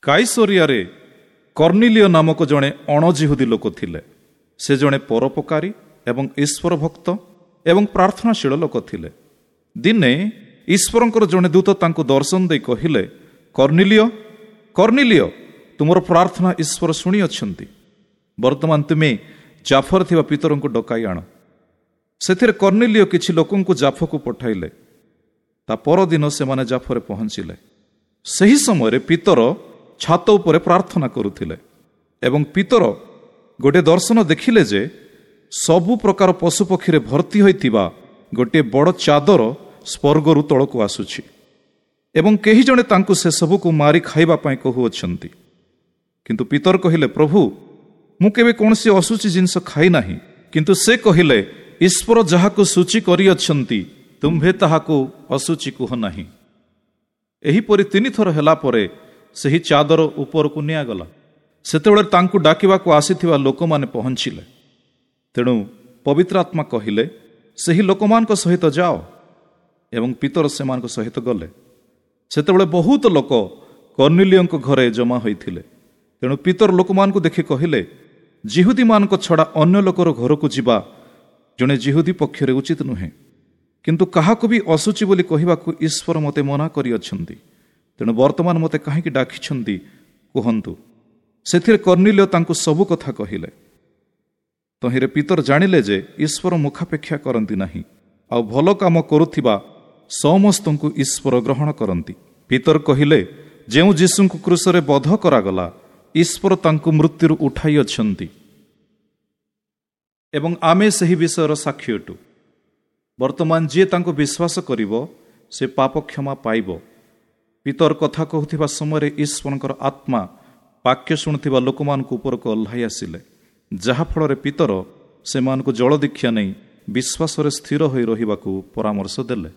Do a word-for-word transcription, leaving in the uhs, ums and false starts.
କାଇସରିଆରେ କର୍ଣ୍ଣିଲିୟ ନାମକ ଜଣେ ଅଣଜିହୁଦୀ ଲୋକ ଥିଲେ। ସେ ଜଣେ ପରୋପକାରୀ ଏବଂ ଈଶ୍ୱର ଭକ୍ତ ଏବଂ ପ୍ରାର୍ଥନାଶୀଳ ଲୋକ ଥିଲେ। ଦିନେ ଈଶ୍ୱରଙ୍କର ଜଣେ ଦୂତ ତାଙ୍କୁ ଦର୍ଶନ ଦେଇ କହିଲେ, କର୍ଣ୍ଣିଲିୟ, କର୍ଣ୍ଣିଲିୟ, ତୁମର ପ୍ରାର୍ଥନା ଈଶ୍ୱର ଶୁଣିଅଛନ୍ତି। ବର୍ତ୍ତମାନ ତୁମେ ଜାଫରେ ଥିବା ପିତରଙ୍କୁ ଡକାଇ ଆଣ। ସେଥିରେ କର୍ଣ୍ଣିଲିୟ କିଛି ଲୋକଙ୍କୁ ଜାଫକୁ ପଠାଇଲେ। ତା ପରଦିନ ସେମାନେ ଜାଫରେ ପହଞ୍ଚିଲେ। ସେହି ସମୟରେ ପିତର ଛାତ ଉପରେ ପ୍ରାର୍ଥନା କରୁଥିଲେ ଏବଂ ପିତର ଗୋଟିଏ ଦର୍ଶନ ଦେଖିଲେ ଯେ ସବୁ ପ୍ରକାର ପଶୁପକ୍ଷୀରେ ଭର୍ତ୍ତି ହୋଇଥିବା ଗୋଟିଏ ବଡ଼ ଚାଦର ସ୍ୱର୍ଗରୁ ତଳକୁ ଆସୁଛି ଏବଂ କେହି ଜଣେ ତାଙ୍କୁ ସେସବୁକୁ ମାରି ଖାଇବା ପାଇଁ କହୁଅଛନ୍ତି। କିନ୍ତୁ ପିତର କହିଲେ, ପ୍ରଭୁ, ମୁଁ କେବେ କୌଣସି ଅଶୁଚି ଜିନିଷ ଖାଇ ନାହିଁ। କିନ୍ତୁ ସେ କହିଲେ, ଈଶ୍ୱର ଯାହାକୁ ସୂଚି କରିଅଛନ୍ତି ତୁମ୍ଭେ ତାହାକୁ ଅଶୁଚି କୁହ ନାହିଁ। ଏହିପରି ତିନିଥର ହେଲା ପରେ ସେହି ଚାଦର ଉପରକୁ ନିଆଗଲା। ସେତେବେଳେ ତାଙ୍କୁ ଡାକିବାକୁ ଆସିଥିବା ଲୋକମାନେ ପହଞ୍ଚିଲେ। ତେଣୁ ପବିତ୍ର ଆତ୍ମା କହିଲେ, ସେହି ଲୋକମାନଙ୍କ ସହିତ ଯାଅ। ଏବଂ ପିତର ସେମାନଙ୍କ ସହିତ ଗଲେ। ସେତେବେଳେ ବହୁତ ଲୋକ କର୍ଣ୍ଣିଲିୟଙ୍କ ଘରେ ଜମା ହୋଇଥିଲେ। ତେଣୁ ପିତର ଲୋକମାନଙ୍କୁ ଦେଖି କହିଲେ, ଜିହୁଦୀମାନଙ୍କ ଛଡ଼ା ଅନ୍ୟ ଲୋକର ଘରକୁ ଯିବା ଜଣେ ଜିହୁଦୀ ପକ୍ଷରେ ଉଚିତ ନୁହେଁ। କିନ୍ତୁ କାହାକୁ ବି ଅଶୁଚି ବୋଲି କହିବାକୁ ଈଶ୍ୱର ମୋତେ ମନା କରିଅଛନ୍ତି। ତେଣୁ ବର୍ତ୍ତମାନ ମୋତେ କାହିଁକି ଡାକିଛନ୍ତି କୁହନ୍ତୁ। ସେଥିରେ କର୍ଣ୍ଣିଲିୟ ତାଙ୍କୁ ସବୁ କଥା କହିଲେ। ତହିଁରେ ପିତର ଜାଣିଲେ ଯେ ଈଶ୍ୱର ମୁଖାପେକ୍ଷା କରନ୍ତି ନାହିଁ, ଆଉ ଭଲ କାମ କରୁଥିବା ସମସ୍ତଙ୍କୁ ଈଶ୍ୱର ଗ୍ରହଣ କରନ୍ତି। ପିତର କହିଲେ, ଯେଉଁ ଯୀଶୁଙ୍କୁ କ୍ରୁଶରେ ବଧ କରାଗଲା, ଈଶ୍ୱର ତାଙ୍କୁ ମୃତ୍ୟୁରୁ ଉଠାଇଅଛନ୍ତି ଏବଂ ଆମେ ସେହି ବିଷୟର ସାକ୍ଷୀ ଅଟୁ। ବର୍ତ୍ତମାନ ଯିଏ ତାଙ୍କୁ ବିଶ୍ୱାସ କରିବ ସେ ପାପ କ୍ଷମା ପାଇବ। ପିତର କଥା କହୁଥିବା ସମୟରେ ଈଶ୍ୱରଙ୍କର ଆତ୍ମା ବାକ୍ୟ ଶୁଣୁଥିବା ଲୋକମାନଙ୍କ ଉପରକୁ ଓହ୍ଲାଇ ଆସିଲେ, ଯାହାଫଳରେ ପିତର ସେମାନଙ୍କୁ ଜଳ ଦୀକ୍ଷା ନେଇ ବିଶ୍ୱାସରେ ସ୍ଥିର ହୋଇ ରହିବାକୁ ପରାମର୍ଶ ଦେଲେ।